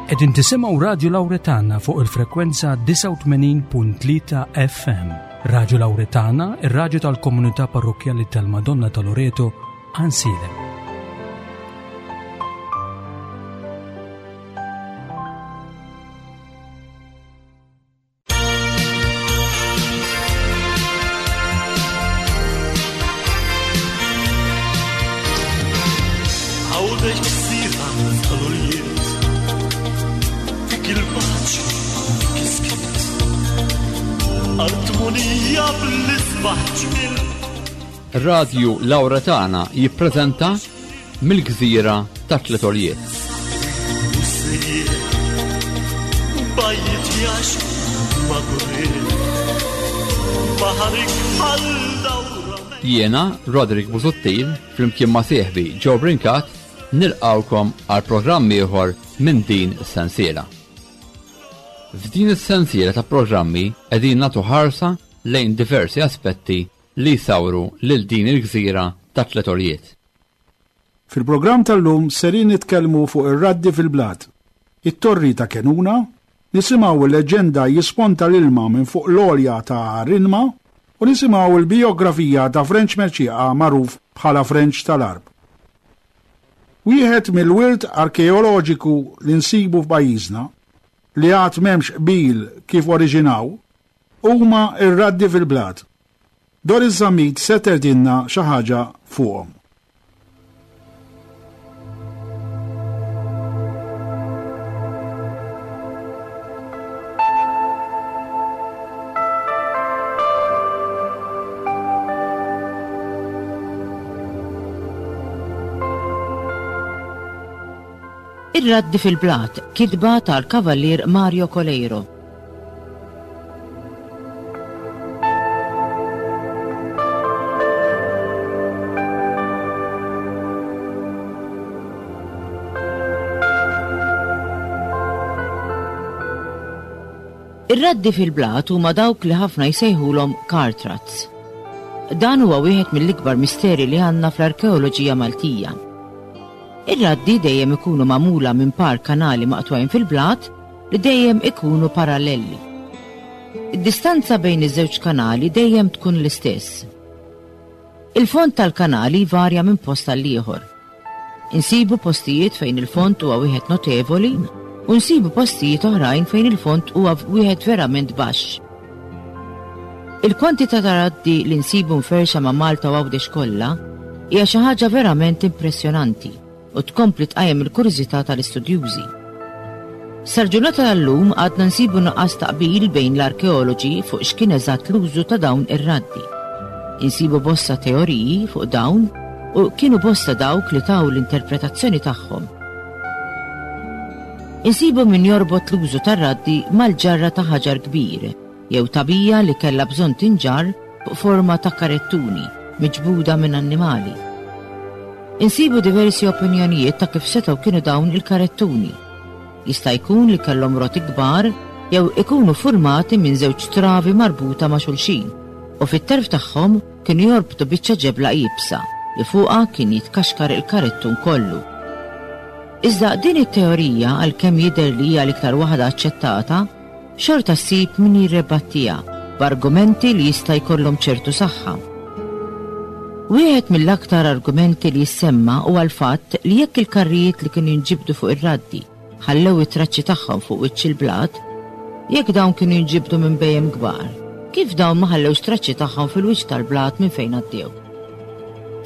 Qegħdin tisimgħu Radju Lawretana fuq il-frekwenza 89.3 FM. Radju Lawretana, ir-radju tal-komunità parrokkjali tal-Madonna ta' Loreto, Għansielem. Radju Laura Tana jippreżenta Mill-Gżira ta' Tliet Għoljiet. Jiena, Roderick Busuttil, flimkien ma' sieħbi Joe Brincat, nilqgħukom għal programm ieħor minn din is-sensiela. F'din is-sensiela ta' programmi qegħdin nagħtu ħarsa lejn diversi aspetti li jsawru lil din il-gżira ta' tlet għoljiet. Fil-programm tal-lum serin nitkellmu fuq ir-raddi fil-blat, it-torri ta' Kenuna, nisimgħu l-leġġenda jisponta l-ilma minn fuq l-għolja ta' Rinma u nisimgħu l-bijografija ta' Frenċ Mercieqa magħruf bħala Frenċ tal-Għarb. Wieħed mill-wirt arkeoloġiku li nsibu f'pajjiżna, li għad m'hemmx qbil kif oriġinaw, huma r-raddi fil-blat. Doris Zammit se tgħidilna xi ħaġa fuqhom. Ir-Raddi fil-Blat, kitba tal-Kavallier Mario Coleiro. Ir-raddi fil-blat huma dawk li ħafna jsejħulhom cartrats. Dan huwa wieħed mill-ikbar misteri li għandna fl-arkeoloġija Maltija. Ir-raddi dejjem ikunu magħmula minn par kanali maqtugħin fil-blat li dejjem ikunu parallelli. Id-distanza bejn iż-żewġ kanali dejjem tkun l-istess. Il-fond tal-kanali jvarja minn post għal ieħor. Insibu postijiet fejn il-fond huwa wieħed notevoli u nsibu postijiet oħrajn fejn il-fond huwa wieħed verament baxx. Il-kwantità ta' raddi li nsibu mferrxa ma' Malta u Għawdex kollha hija xi ħaġa verament impressjonanti. u tkompli tqajjem il-kurżità tal-istudjużi. Sal-ġurnata tal-lum għadna nsibu nuqqas ta' qbil bejn l-arkeoloġi fuq x'kien eżatt l-użu ta' dawn ir-raddi. Insibu bosta teoriji fuq dawn u kienu bosta dawk li taw l-interpretazzjoni tagħhom. Insibu min jorbot l-użu tar-raddi mal-ġarra ta' ħaġar kbir jew tagħbija li kellha bżonn tinġarr fuq forma ta' karettuni miġbuda minn annimali. Insibu diversi opinjonijiet ta' kif setgħu kienu dawn il-karettuni. Jista' jkun li kellhom roti kbar jew ikunu furmati minn żewġ travi marbuta ma' xulxin u fit-terf tagħhom kienu jorbtu biċċa ġebla iebsa li fuqha kien jitkaxkar il-karettun kollu. Iżda din it-teorija għalkemm jidher li hija l-iktar waħda aċċettata, xorta ssib min jirrebattiha b'argumenti li jista' jkollhom ċertu saħħa. Wieħed mill-aktar argumenti li jissemma huwa l-fatt li jekk il-karrijiet li kienu jinġibdu fuq ir-raddi ħallew it-traċċi tagħhom fuq wiċċ il-blat, jekk dawn kienu jinġibdu minn bhejjem kbar, kif dawn ma ħallewx traċċi tagħhom fil-wiċċ tal-blat minn fejn għaddew?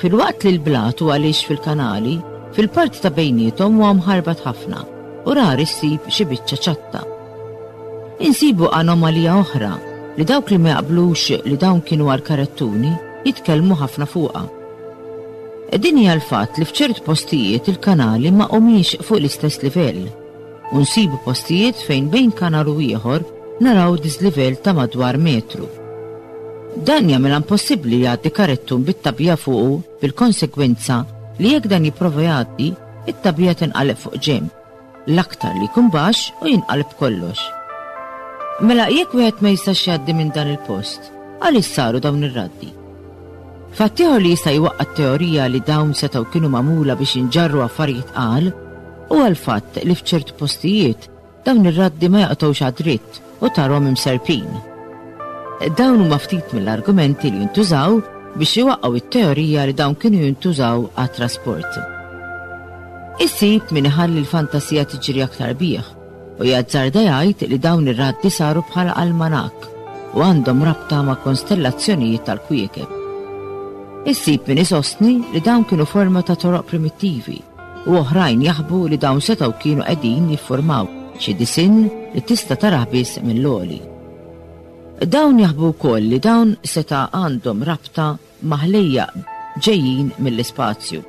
Filwaqt li l-blat huwa lixx fil-kanali, fil-parti ta' bejniethom huwa mħarbat ħafna u rari ssib xi biċċa ċatta. Insibu anomalija oħra li dawk li ma jaqblux li dawn kienu għall-karettuni jitkellmu ħafna fuqha. Din hija l-fatt li f'ċertu postijiet il-kanali ma humiex fuq l-istess livell u nsibu postijiet fejn bejn kanal u ieħor naraw diżlivell ta' madwar metru. Dan jagħmilha impossibbli li jgħaddi karettun bit-tagħbija fuqu bil-konsegwenza li jekk dan jipprova jgħaddi, it-tagħbija tinqaleb fuq ġenb, l-aktar li jkun baxx u jinqaleb kollox. Mela jekk wieħed ma jistax jgħaddi minn dan il-post, għaliex saru dawn ir-raddi? Fatt ieħor li jista' jwaqqa' t-teorija li dawn setgħu kienu magħmula biex jinġarru affarijiet tqal. Huwa l-fatt li f'ċertu postijiet dawn ir-raddi ma jaqtgħux għad-dritt u tarhom imserpin. Dawn huma ftit mill-argumenti li jintużaw biex iwaqqgħu t-teorija li dawn kienu jintużaw għat-trasport. Issib min iħalli l-fantasija tiġri aktar bih u jazzarda jgħid li dawn ir-raddi saru bħala almanakk u għandhom rabta ma' konstellazzjonijiet tal-kwiekeb. Issib min isostni li dawn kienu forma ta' toroq primittivi u oħrajn jaħbu li dawn setgħu kienu qegħdin jiffurmaw xi disinn li tista' tarah biss mill-għoli. Dawn jaħbu wkoll li dawn seta' għandhom rabta ma' ħlejjaq ġejjin mill-ispazju.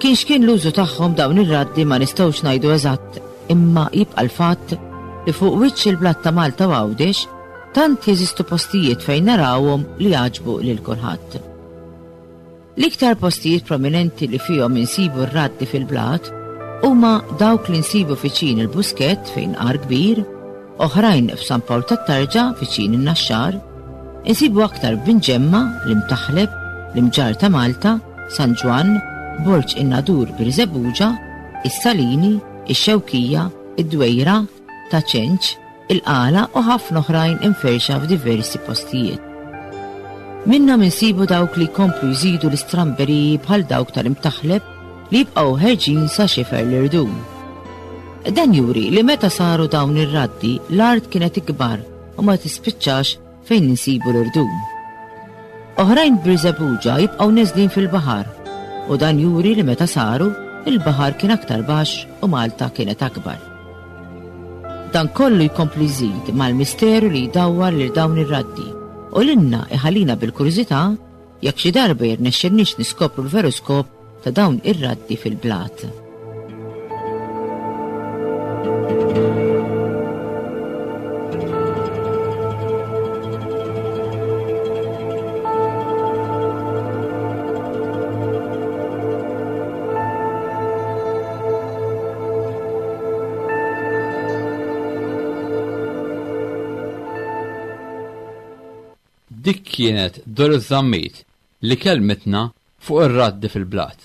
Kien x'kien l-użu tagħhom dawn ir-raddi ma nistgħux ngħidu eżatt imma jibqa' l-fatt li fuq wiċċ il-blat ta' Malta u Għawdex tant jeżistu postijiet fejn narawhom li jagħġbu lil kulħadd. L-iktar postijiet prominenti li fihom insibu r-raddi fil-blat huma dawk li nsibu viċin il-Buskett fejn Għar Kbir, oħrajn f'San Pawl tat-Tarġa viċin in-Naxxar, insibu aktar f'Binġemma, l-Imtaħleb, l-Imġarr ta' Malta, San Ġwann, Borġ in-Nadur Birżebbuġa, is-Salini, ix-Xewkija, id-Dwejra, Ta' Ċenċ, il-Qala u ħafna oħrajn imferrxa f'diversi postijiet. Minnhom insibu dawk li jkomplu jżidu l-istramberiji bħal dawk tal-Imtaħleb li jibqgħu ħerġin sa xifer l-irdum. Dan juri li meta saru dawn ir-raddi l-art kienet ikbar u ma tispiċċax fejn insibu l-irdum. Oħrajn b'Birżebbuġa jibqgħu neżlin fil-baħar u dan juri li meta saru, il-baħar kien aktar baxx u Malta kienet akbar. Dan kollu jkompli jżid mal-misteru li jdawwar lil dawn ir-raddi u lilna iħallina bil-kurżità jekk xi darba jirnexxilniex niskopru l-veru skop ta' dawn ir-raddi fil-blat. Dik kienet Doris Zammit li kellmitna fuq ir-raddi fil-blat.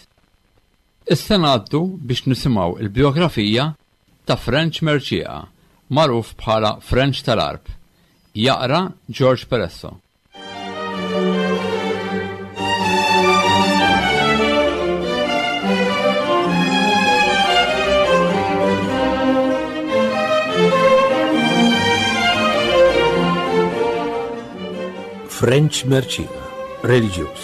Issa ngħaddu biex nisimgħu l-bijografija ta' Frenċ Mercieca, magħruf bħala Frenċ tal-Għarb. Jaqra George Peresso. Frenċ Mercieca, reliġjuż.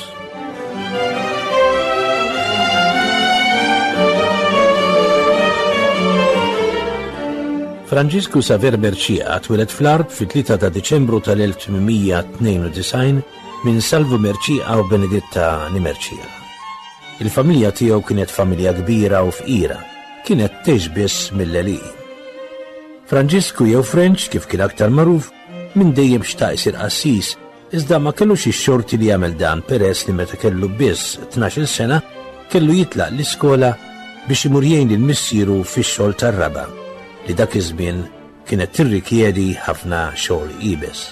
Franġisku Saver Mercieca twieled fl-Għarb fit-3 ta' Diċembru tal-1892 minn Salvu Mercieca u Benedetta ni Mercieca. Il-familja tiegħu kienet familja kbira u fqira, kienet tgħix biss mill-għelieqi. Franġisku jew Frenċ kif kien aktar magħruf, minn dejjem xtaq isir qassis Iżda ma kellux ix-xorti li jagħmel dan peress li meta kellu biss tnax-il sena kellu jitlaq l-iskola biex imur jgħin lil missieru fix-xogħol tar-raba' li dak iż-żmien kienet tirrikjedi ħafna xogħol iebes.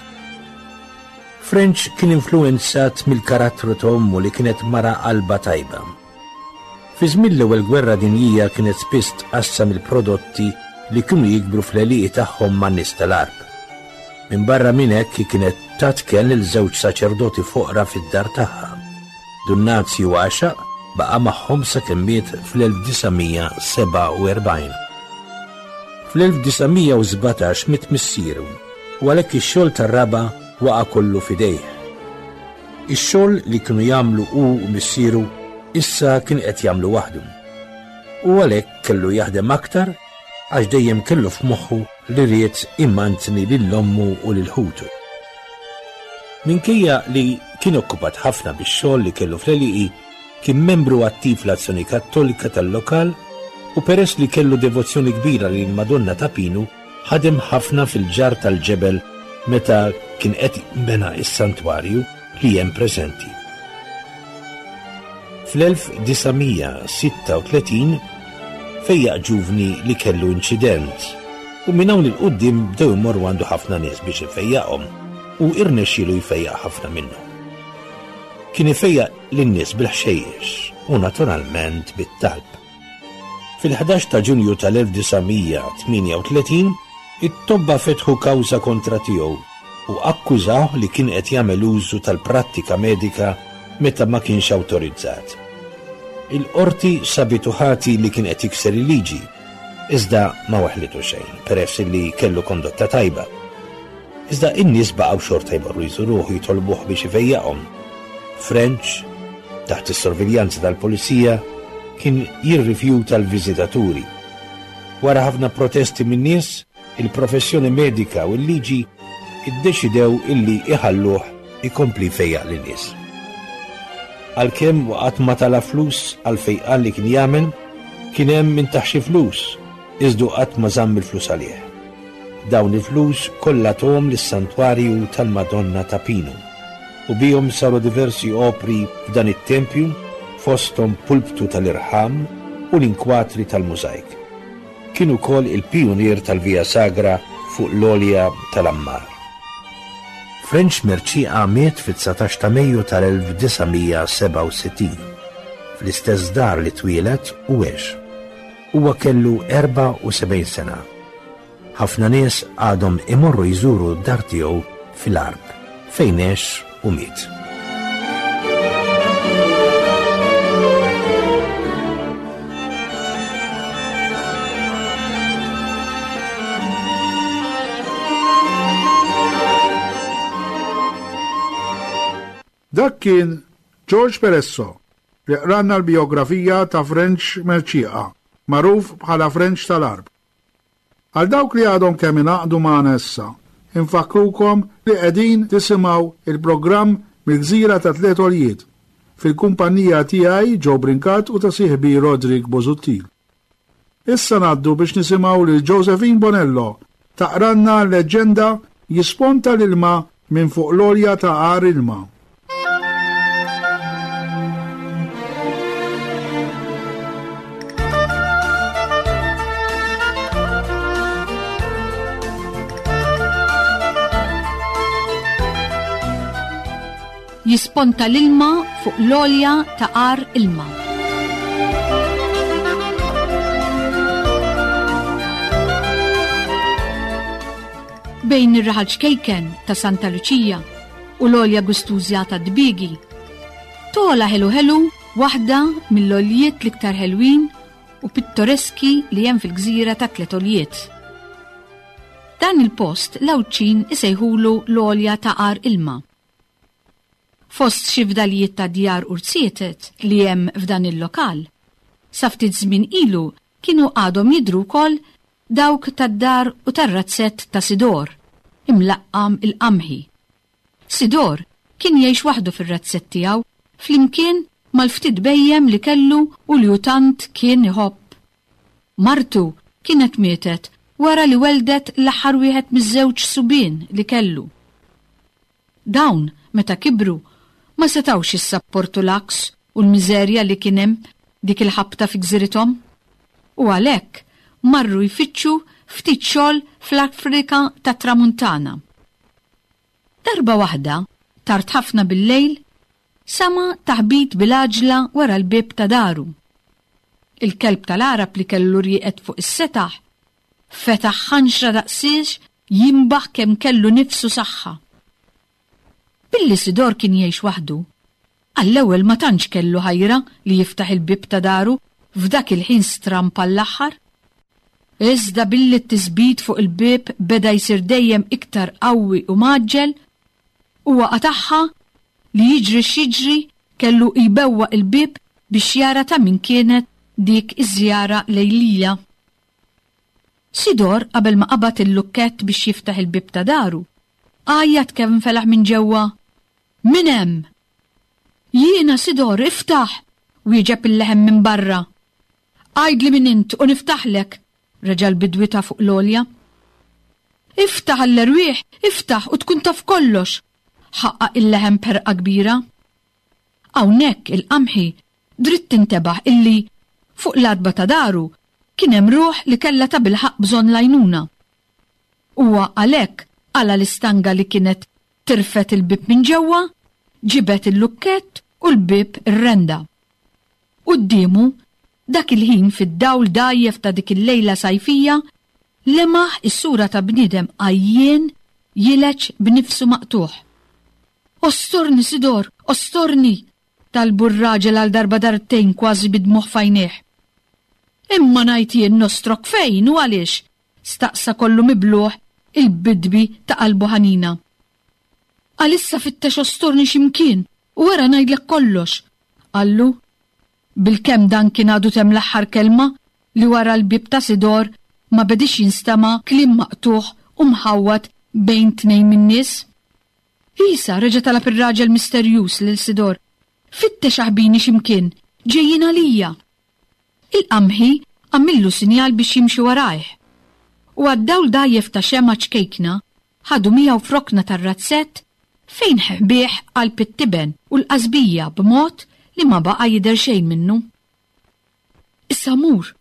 Frenċ kien influwenzat mill-karattru ta' ommu li kienet mara qalbha tajba. Fi żmien l-Ewwel Gwerra Dinjija kienet spiss tqassam il-prodotti li kienu jikbru fl-għelieqi tagħhom man-nies tal-Għarb. Minbarra minn hekk hi kienet tat kenn lil żewġ saċerdoti foqra fid-dar tagħha. Dun Nazju Għaxaq baqa' magħhom sakemm miet fl-1947. Fl-1917 miet missieru u għalhekk ix-xogħol tar-raba' waqa' kollu f'idejh. Ix-xogħol li kienu jagħmlu hu u missieru issa kien qed jagħmlu waħdu. U għalhekk kellu jaħdem aktar għax dejjem kellu f'moħħu li ried imantni lil ommu u lil ħutu. Minkejja li kien okkupat ħafna bix-xogħol li kellu fl-għelieqi, kien membru attiv fl-Azzjoni Kattolika tal-lokal u peress li kellu devozzjoni kbira lill-Madonna ta' Pinu, Ħadem ħafna fil-ġarr tal-ġebel meta kien qed jinbena s-santwarju li hemm preżenti. Fl-1936 fejjaq ġuvni li kellu inċident u minn hawn 'il quddiem bdew imorru għandu ħafna nies biex ifejjaqhom u irnexxielu jfejjaq ħafna minnhom. Kien ifejjaq lin-nies bil-ħxejjex u naturalment bit-talb. Fil-11 ta' Ġunju tal-1938, it-tobba fetħu kawża kontra tiegħu u akkużawh li kien qed jagħmel użu tal-prattika medika meta ma kienx awtorizzat. Il-qorti sabitu ħati li kien qed jikser il-liġi, iżda ma waħħlitu xejn peress li kellu kondotta tajba. Iżda in-nies baqgħu xorta jmorru jżuruh u jitolbuh biex ifejjaqhom. French, taħt is-sorveljanza tal-pulizija, kien jirrifjuta l-viżitaturi. Wara ħafna protesti min-nies, il-professjoni medika u l-liġi iddeċidew illi iħalluh ikompli jfejjaq lin-nies. Għalkemm qatt ma tala flus għall-fejqan li kien jagħmel, kien hemm min tah xi flus, iżdu qatt ma żamm il-flus għalih. Dawn il-flus kollha tahom lis-Santwarju tal-Madonna ta' Pinu u bihom saru diversi opri f'dan it-tempju fosthom pulptu tal-irħam u l-inkwatri tal-mużajk. Kien ukoll il-pijunier tal-Via Sagra fuq l-għolja tal-Ammar. Frenċ Mercieca miet fit-19 ta' Mejju tal-1967, fl-istess dar li twieled u għex. Huwa kellu 74 sena. Ħafna nies għadhom imorru jżuru d-dar tiegħu fil-Għarb, fejn għex u miet. Dak kien George Peresso li qranna l-bijografija ta' Frenċ Mercieca, magħruf bħala Frenċ tal-Għarb. Għal dawk li għadhom kemm ingħaqdu magħna issa, infakkrukom li qegħdin tisimgħu il-programm Mill-Gżira ta' Tliet Għoljiet, fil-kumpanija tiegħi Joe Brincat u ta' sieħbi Roderick Busuttil. Issa ngħaddu biex nisimgħu lil Josephine Bonello taqranna l-leġġenda Jisponta l-ilma minn fuq l-għolja ta' Għar Ilma. Jisponta l-ilma fuq l-għolja ta' Għar Ilma. Bejn ir-raħal ċkejken ta' Santa Luċija u l-għolja gustużja ta' Dbiegi, togħla ħelu ħelu waħda mill-għoljiet l-iktar ħelwin u pittoreski li hemm fil-gżira ta' Tliet Għoljiet. Dan il-post l-Għawdxin isejħulu l-għolja ta' Għar Ilma. Fost xi fdalijiet ta' djar u rziezet li hemm f'dan il-lokal, sa ftit żmien ilu kienu għadhom jidhru wkoll dawk tad-dar u tar-razzett ta' Sidor, imlaqqam il-Qamħi. Sidor kien jgħix waħdu fir-razzett tiegħu flimkien mal-ftit bhejjem li kellu u li hu tant kien iħobb. Martu kienet mietet wara li welldet l-aħħar wieħed miż-żewġ subien li kellu. Dawn, meta kibru, ma setgħux jissapportu l-għaks u l-miżerja li kien hemm dik il-ħabta fi gżirithom, u għalhekk marru jfittxu ftit xogħol fl-Afrika tat-Tramuntana. Darba waħda, tard ħafna billejl, sama' taħbit bil-għaġla wara l-bieb ta' daru. Il-kelb tal-Għarab li kellu rieqed fuq is-setaħ fetaħ ħanxra daqsiex jinbaħ kemm kellu nifs u saħħa. Billi Sidor kien jgħix waħdu, għall-ewwel ma tantx kellu ħajra li jiftaħ il-bieb ta' daru f'dak il-ħin stramb għall-aħħar. Iżda billi t-tisbit fuq il-bieb beda jsir dejjem iktar qawwi u mgħaġġel, huwa qatagħha li jiġri x'jiġri kellu jbewwaq il-bieb biex jara ta' min kienet dik iż-żjara lejlija. Sidor qabel ma qabad il-lukkett biex jiftaħ il-bieb ta' daru, għajjat kemm felaħ minn ġewwa, Min hemm? Jiena, Sidor, iftaħ! wieġeb il-leħen minn barra. Għidli min int u niftaħlek, reġa' l-bidwi ta' fuq l-għolja. Iftaħ għall-erwieħ, iftaħ u tkun taf kollox, ħaqqaq il-leħen b'ħerqa kbira. Hawnhekk il-qamħi dritt intebaħ illi, fuq l-għatba ta' daru, kien hemm ruħ li kellha tabilħaqq bżonn l-għajnuna. Huwa għalhekk qala' l-istanga li kienet tirfed il-bieb minn ġewwa, ġibed il-lukkett u l-bieb irrenda. Quddiemu Dak il-ħin fid-dawl dgħajjef ta' dik il-lejla sajfija, lemaħ is-sura ta' bniedem għajjien jileġ b'nifsu maqtugħ. Ostorni, Sidor, ostorni! talbu r-raġel għal darba darbtejn kważi bid-dmugħ f'għajnejh. Imma ngħid jien nostrok fejn u għaliex? staqsa kollu miblugħ il-bidwi ta' qalbu ħanina. Għalissa fittex ostorni xi mkien u wara ngħidlek kollox, qallu. Bilkemm dan kien għadu temm l-aħħar kelma li wara l-bieb ta' Sidor ma bediex jinstema' kliem maqtugħ u mħawwad bejn tnejn min-nies. Isa, reġa' talab ir-raġel misterjuż lil Sidor, fittex aħbini xi mkien, ġejjin għalija. Il-qamħi għamillu sinjal biex jimxi warajh. U għad-dawl dgħajjef ta' xemgħa ċkejkna, ħadu miegħu f'rokna tar-razzett fejn ħbieh qalb it-tiben u l-qasbija b'mod li ma baqa' jidher xejn minnu. Issa mur,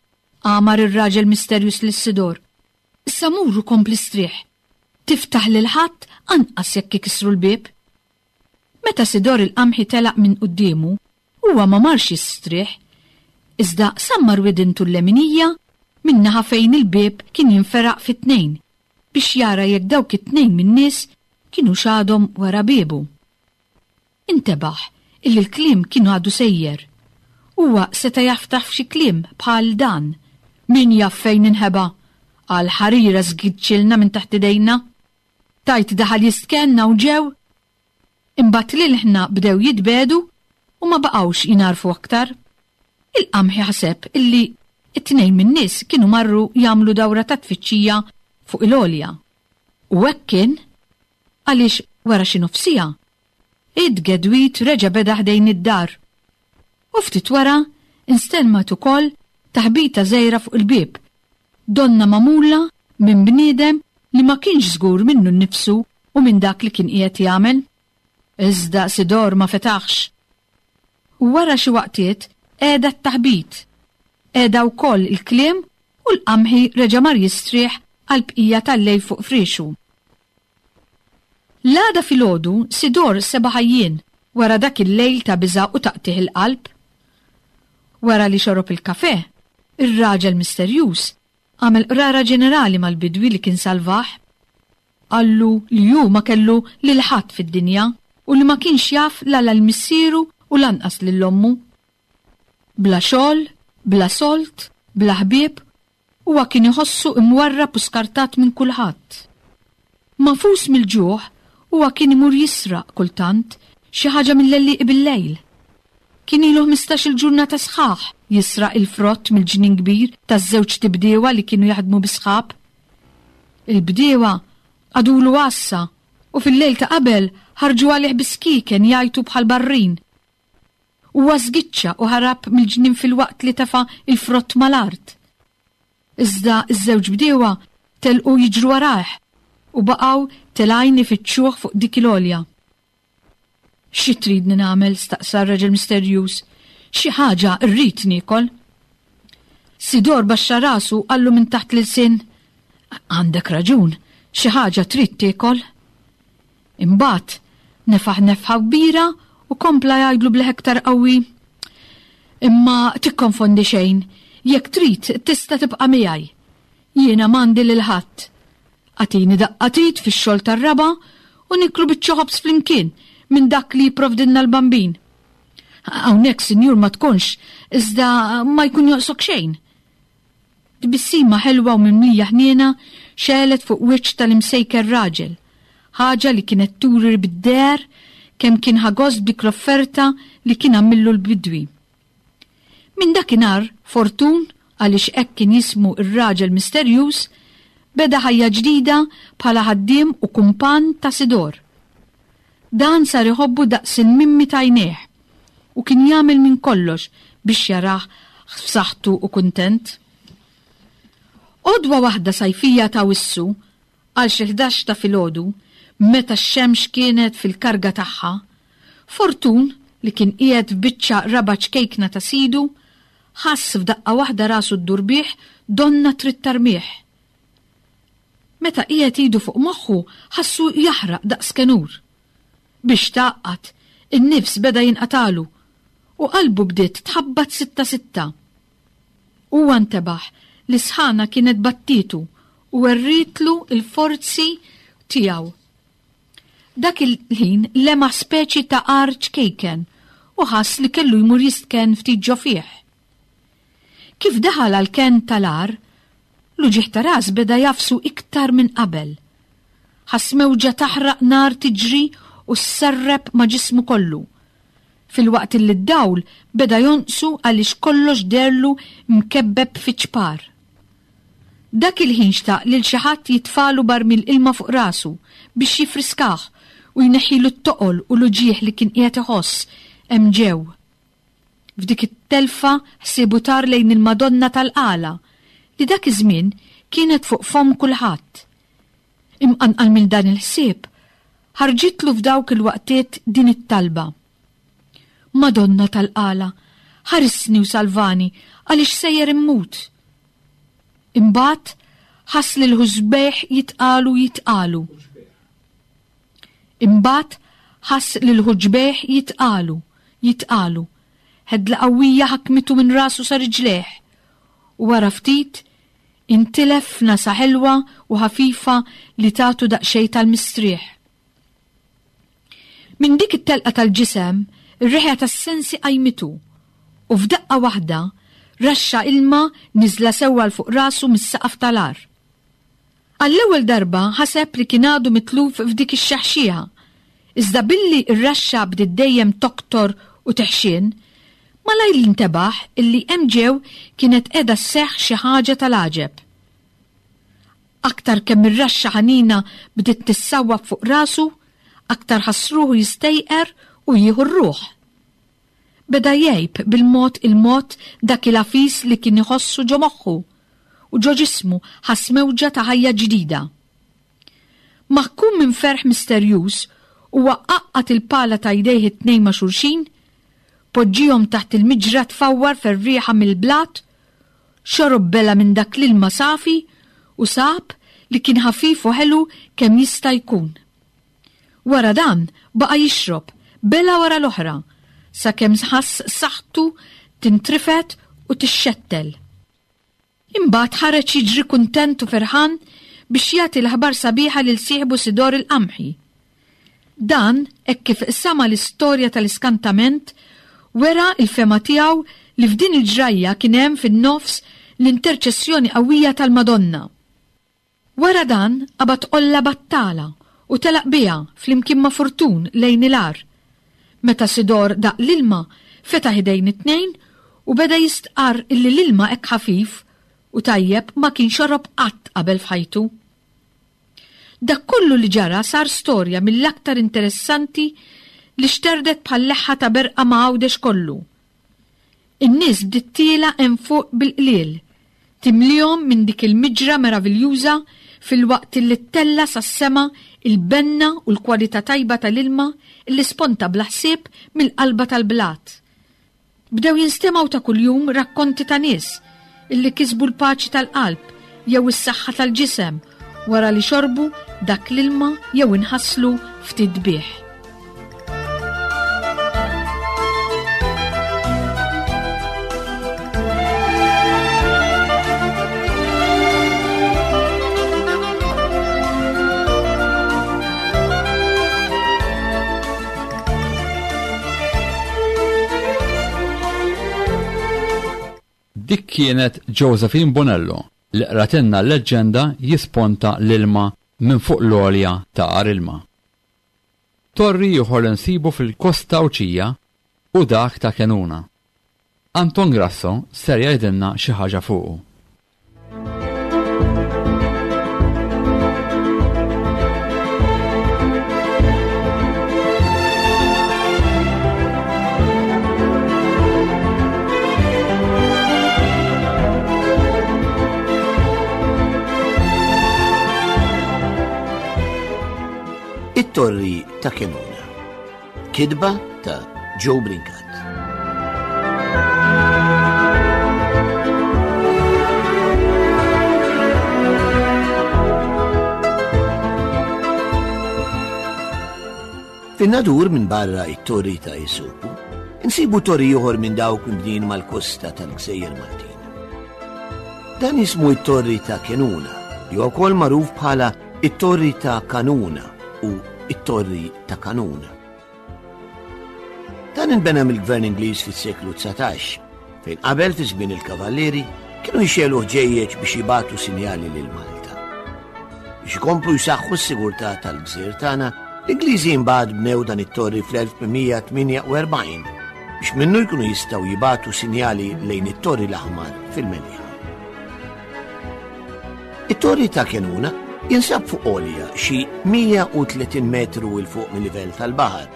għamar ir-raġel misterjuż lil Sidor. Issa mur u kompli strieħ. Tiftaħ lil ħadd anqas jekk ikissru l-bieb. Meta Sidor il-qamħi telaq minn quddiemu, Huwa ma marx jistrieħ, iżda sammar widintu l-leminija min-naħa fejn il-bieb kien jinferaq fi tnejn biex jara jekk dawk it-tnejn min-nies kinux għadhom wara biebu. Intebaħ illi l-kliem kien għadu sejjer. Huwa seta' jaftaħ f'xi kliem bħal dan, Min jaf fejn inħeba? Għal ħarira żgiċċilna minn taħt idejna. Tgħid daħal jistkenn hawn ġew? Imbagħad l-ilħna bdew jitbiegħdu u ma baqgħux jingħarfu aktar. Il-qamħi ħaseb illi t-tnejn min-nies kienu marru jagħmlu dawra ta' tfittxija fuq il-għolja. U hekk kien, għaliex wara xi nofs siegħa, it-tgedwid reġa' beda ħdejn id-dar. U ftit wara nstelmet ukoll taħbita żgħira fuq il-bieb, donnha magħmula minn bniedem li ma kienx żgur minnu nnifsu u minn dak li kien qiegħed jagħmel. Iżda Sidor ma fetaħx. U wara xi waqtiet qegħda t-taħbit. Qegħda wkoll il-kliem u l-qamħi reġa' mar jistrieħ għall-bqija tal-lejl fuq friexu. L-għada filgħodu Sidor seba' ħajjien wara dak il-lejl ta' biża' u taqtigħ il-qalb. Wara li xorob il-kafè, ir-raġel misterjuż għamel qrara ġenerali mal-bidwi li kien salvah. Qallu li hu ma kellu lil ħadd fid-dinja u li ma kienx jaf la lil missieru u lanqas lil ommu. Bla xogħol, bla sold, bla ħbieb, huwa kien iħossu imwarrab u skartat minn kulħadd. Magħfus mill-ġuħ, huwa kien imur jisraq kultant xi ħaġa mill-għellieqi bil-lejl. Kien ilu ħmistax-il ġurnata sħaħ jisraq il-frott mill-ġnien kbir taż-żewġt ibdiewa li kienu jaħdmu bi sħab. Il-bdiewa qagħdulu għassa u fil-lejl ta' qabel ħarġu għalih bis-skieken jgħajtu bħal barrin. Huwa żgiċċa u ħarab mill-ġnien filwaqt li tefa' l-frott mal-art. Iżda ż-żewġ bdiewa telqu jiġru warajh u baqgħu telgħin ifittxuh fuq dik il-għolja. Xi tridni nagħmel? staqsa r-raġel misterjuż. Xi ħaġa rrid niekol. Sidor baxxa rasu u qallu minn taħt l-ilsien, Għandek raġun, xi ħaġa trid tiekol. Imbagħad nefaħ nefħa kbira u kompla jgħidlu b'leħ iktar qawwi, Imma tikkonfondi xejn, jekk trid tista' tibqa' miegħi. Jiena m'għandi lil ħadd. Agħtini daqqa t'id fix-xogħol tar-raba' u nieklu biċċa ħobż flimkien minn dak li jipprovdilna l-Bambin. Hawnhekk, sinjur, ma tkunx, iżda ma jkun jonqsok xejn. Tbissima ħelwa u mimlija ħniena xegħlet fuq wiċċ tal-imsejker raġel, ħaġa li kienet turi bid-deher kemm kien ħa gost b'dik l-offerta li kien għamillu l-bidwi. Minn dakinhar, Fortun, għaliex hekk kien jismu r-raġel misterjuż, beda ħajja ġdida bħala ħaddiem u kumpann ta' Sidor. Dan sar iħobbu daqs il-mimmi t'għajnejh u kien jagħmel minn kollox biex jarah f'saħħtu u kuntent. Għodwa waħda sajfija t'Awissu, għal xi 11 ta' filgħodu, meta x-xemx kienet fil-karga tagħha, Fortun, li kien qiegħed f'biċċa raba' ċkejkna ta' sidu, ħass f'daqqa waħda rasu ddur bih donnha trid tarmih. Meta qiegħed idu fuq moħħu ħassu jaħraq daqs kenur. Biex tgħaqqad, in-nifs beda jinqatagħlu u qalbu bdiet tħabbat sitta sitta. Huwa ntebaħ li s-sħana kienet battietu u werrietlu l-forzi tiegħu. Dak il-ħin lemaħ speċi ta' għar ċkejken u ħass li kellu jmur jistkenn ftit ġo fih. Kif daħal għall-kenn tal-għar, l-uġigħ ta' ras beda jagħfsu iktar minn qabel. Ħass mewġa taħraq nar tiġri u sserrep ma' ġismu kollu, filwaqt illi d-dawl beda jonqsu għaliex kollox deherlu mkebbeb fi ċpar. Dak il-ħin xtaq lil xi ħadd jitfagħlu barmil ilma fuq rasu biex jiffriskah u jneħħilu t-toqol u l-uġigħ li kien qiegħed iħoss hemm ġew. F'dik it-telfa ħsiebu tar lejn il-Madonna tal-Qala li dak iż-żmien kienet fuq fomm kulħadd. Imqanqal minn dan il-ħsieb, ħarġitlu f'dawk il-waqtiet din it-talba. Madonna tal-Qala, ħarisni u salvani għaliex sejjer immut. Imbagħad ħass li l-ħużbejh jitqalu jitqalu. Imbagħad ħass li l-ħuġbejh jitqalu, jitqalu. Ħedla qawwija ħakmitu minn rasu sa riġlejh. U wara ftit intilef f'nasa ħelwa u ħafifa li tagħtu daqsxejn tal-mistrieħ. Minn dik it-telqa tal-ġisem, ir-reħja tas-sensi qajmitu, u f'daqqa waħda, raxxa ilma niżla sewwa 'l fuq rasu mis-saqaf tal-għar. Għall-ewwel darba ħaseb li kien għadu mitluf f'dik ix-xeħxieħa, iżda billi r-raxxa bdiet dejjem toktor u teħxien, malajr intebaħ illi hemm ġew kienet qiegħda sseħħ xi ħaġa tal-għaġeb. Aktar kemm ir-raxxa ħanina bdiet tissawwab fuq rasu, aktar ħass ruħu jistejqer u jieħu r-ruħ. Beda jgħib bil-mod il-mod dak il-għafis li kien iħossu ġo moħħu, u ġo ġismu ħass mewġa ta' ħajja ġdida. Maħkum minn ferħ misterjuż, huwa għaqqad il-pala ta' jdejh it-tnejn ma' xulxin, poġġihom taħt il-miġra tfawwar ferrieħa mill-blat, Xorob bela minn dak l-ilma safi u sab li kien ħafif u ħelu kemm jista' jkun. Wara dan baqa' jixrob bela wara l-oħra sakemm ħass saħħtu tintrifed u tixxettel. Imbagħad ħareġ jiġri kuntent u ferħan biex jagħti l-aħbar sabiħa lil sieħbu Sidor il-Qamħi. Dan hekk kif sama' l-istorja tal-iskantament, wera l-fehma tiegħu li f'din il-ġrajja kien hemm fin-nofs l-interċessjoni qawwija tal-Madonna. Wara dan qabad qolla battala u telaq biha flimkien ma' Furtun lejn il-għar. Meta Sidor daq l-ilma, fetaħ idejn it-tnejn u beda jistqarr illi l-ilma hekk ħafif u tajjeb ma kien xorob qatt qabel f'ħajtu. Dak kollu li ġara sar storja mill-aktar interessanti li xterdet bħal leħħa ta' berqa ma' Għawdex kollu. In-nies bdiet tiela' hemm fuq bil-qliel, timlihom minn dik il-miġra meraviljuża filwaqt illi ttella' sas-sema il-benna u l-kwalità tajba tal-ilma illi sponta bla ħsieb mill-qalba tal-blat. Bdew jinstemgħu ta' kuljum rakkonti ta' nies illi kisbu l-paċi tal-qalb jew is-saħħa tal-ġisem wara li xorbu dak l-ilma jew inħaslu ftit bih. Dik kienet Josephine Bonello li qratilna l-leġġenda Jisponta l-ilma minn fuq l-għolja ta' Għar Ilma. Torri ieħor li nsibu fil-Kosta Għawdxija hu dak ta' Kenuna. Anton Grasso ser jgħidilna xi ħaġa fuqu. It-Torri ta' Kenuna. Kitba ta' Joe Brincat. Fin-nadur minn barra it-torri ta' Isupu, insibu torri ieħor minn dawk mibnijin mal-kosta tal-Gżejjer Maltin. Dan jismu it-Torri ta' Kenuna, li huwa wkoll magħruf bħala it-Torri ta' Kanuna u it-Torri ta' Kanun. Dan inbena mill-Gvern Ingliż fis-seklu 19, fejn qabel fi żmien il-Kavallieri kienu jxegħlu ħġejjeġ biex jibagħtu sinjali lil Malta. Biex ikomplu jsaħħu s-sigurtà tal-gżir tagħna, l-Ingliżi imbagħad bnew dan it-torri fl-1848 biex minnu jkunu jistgħu jibagħtu sinjali lejn it-Torri l-Aħmar fil-Mellieħa. It-Torri ta' Kenuna jinsab fuq għolja xi 130 metru 'l fuq mil-livell tal-baħar.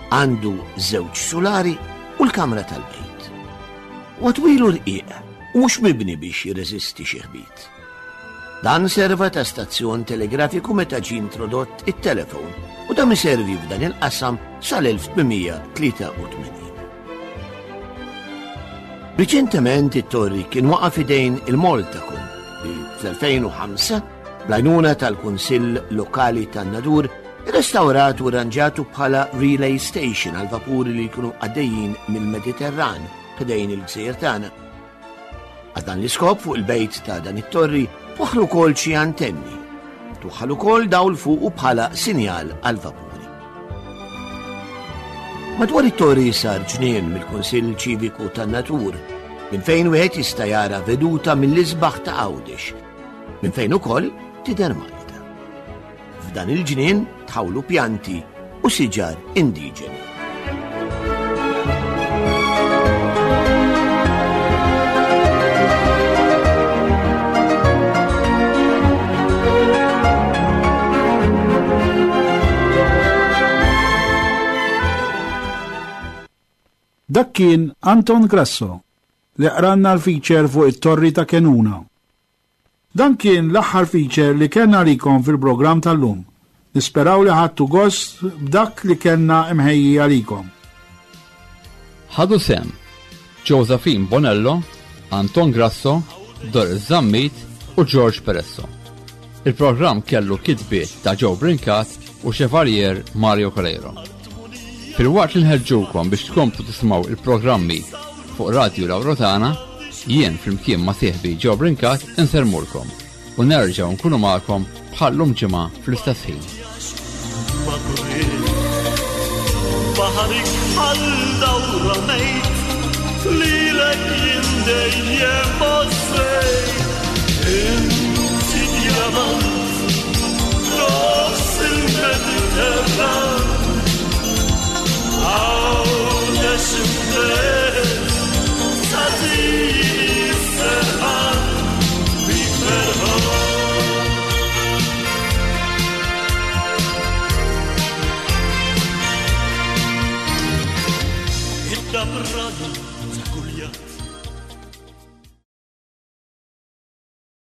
Għandu żewġ sulari u l-kamra tal-bejt. Huwa twil u rqiq u mhux mibni biex jirreżisti xi ħbit. Dan serva ta' stazzjon telegrafiku meta ġie introdott it-telefon u dam iservi f'dan il-qasam sal-1883. Riċentement it-torri kien waqa' f'idejn il-Maltacom li fl-2005 bl-għajnuna tal-Kunsill Lokali tan-Nadur irrestawrat u rranġatu bħala relay station għal vapuri li jkunu għaddejjin mill-Mediterran ħdejn il-gżejjer tagħna. Għal dan l-iskop fuq il-bejt ta' dan it-torri twaħħlu wkoll xi antenni. Twaħħal ukoll dawl fuqu bħala sinjal għal vapuri. Madwar it-torri sar ġnien mill-Kunsill Ċiviku tan-Natur, minn fejn wieħed jista' jara veduta mill-isbaħ ta' Għawdex, minn fejn ukoll tidher Malta. F'dan il-ġnien tħawlu pjanti u siġar indiġeni. Dak kien Anton Grasso li qranna l-feature fuq it-Torri ta' Kenuna. Dan kien l-aħħar feature li kellna għalikom fil-programm tal-lum. Nisperaw li ħadtu gost b'dak li kellna imħejji għalikom. Ħadu sehem Josephine Bonello, Anton Grasso, Doris Zammit u George Peresso. Il-programm kellu kitbiet ta' Joe Brincat u Chevalier Mario Coleiro. Filwaqt li nħeġġukom biex tkomplu tisimgħu il-programmi fuq Radju Lawrotana, jien flimkien ma' sieħbi Joe Brincat insellmulkom u nerġgħu nkunu magħkom bħal-lum ġimgħa fl-istess ħin. Baħarik bħal dawra mejt lilek jien dejjem għożżejt. Inti djamant nofs il-Mediterran. Għawdex imbet tagħtini s-serħan bik ferħan. Id-dabrana ta' kull jum.